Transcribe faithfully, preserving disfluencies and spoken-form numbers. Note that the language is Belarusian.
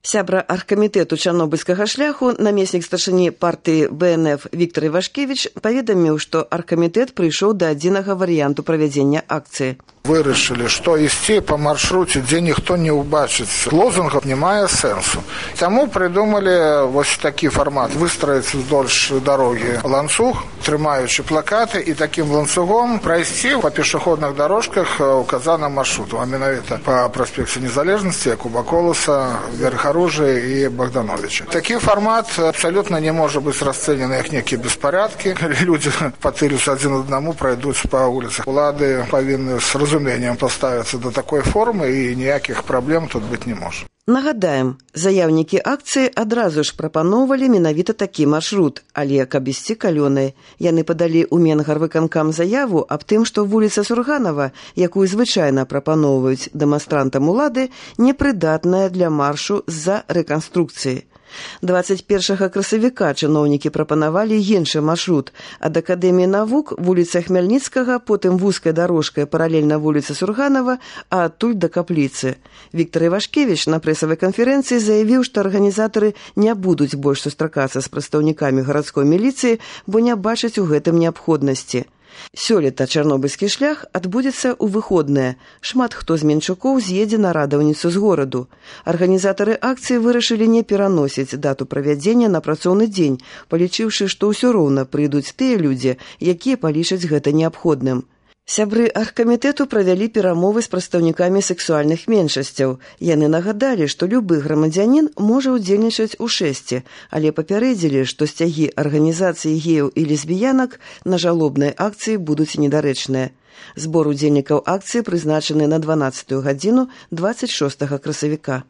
Сябра аргкамітэту чарнобыльскага шляху, намеснік старшыні партыі бэ эн эф Віктор Івашкевіч паведаміў, што аргкамітэт прыйшоў да адзінага варыянту правядзення акцыі. Вырашылі, што ісці па маршруце, дзе ніхто не ўбачыць лозунгаў, не мае сэнсу. Таму прыдумалі вось такі фармат: выстраіць уздоўж дарогі ланцуг, трымаючы плакаты, і такім ланцугом прайсці па пешаходных дарожках указаным маршруту, а менавіта па праспекце Незалежнасці, Якуба Коласа, Верхаружы і Богдановича. Такі фармат абсалютна не можа быць расцэнены як нейкія беспарадкі. Людзі патылюцца адзін аднаму, прайдуць па вуліцах. Улады павінны з разуменнем паставіцца да такой формы, і ніякіх праблем тут быць не можа. Нагадаем, заяўнікі акцыі адразу ж прапаноўвалі менавіта такі маршрут, але каб ісці калёнай. Яны падалі ў Менгарвыканкам заяву аб тым, што вуліца Сурганава, якую звычайна прапаноўваюць дэманстрантам улады, непрыдатная для маршу з-за рэканструкцыі. дваццаць першага красавіка чыноўнікі прапанавалі іншы маршрут ад Акадэміі навук, вуліца Хмяльніцкага, потым вузкая дарожка паралельна вуліцы Сурганава, а адтуль да капліцы. Віктор Івашкевіч на прэсавай канферэнцыі заявіў, што арганізатары не будуць больш сустракацца з прадстаўнікамі гарадской міліцыі, бо не бачаць у гэтым неабходнасці. Сёлета чарнобыльскі шлях адбудзецца ў выходныя. Шмат хто з менчукоў з'едзе на радаўніцу з гораду. Арганізатары акцыі вырашылі не пераносіць дату правядзення на працоўны дзень, палічыўшы, што ўсё роўна прыйдуць тыя людзі, якія палічаць гэта неабходным. Сябры аргкамітэту правялі перамовы з прадстаўнікамі сексуальных меншасцяў. Яны нагадалі, што любы грамадзянін можа ўдзельнічаць у шэсці, але папярэдзілі, што сцягі арганізацыі геяў і лесбіянак на жалобнай акцыі будуць недарэчныя. Збор удзельнікаў акцыі прызначаны на дванаццатую гадзіну дваццаць шостага красавіка.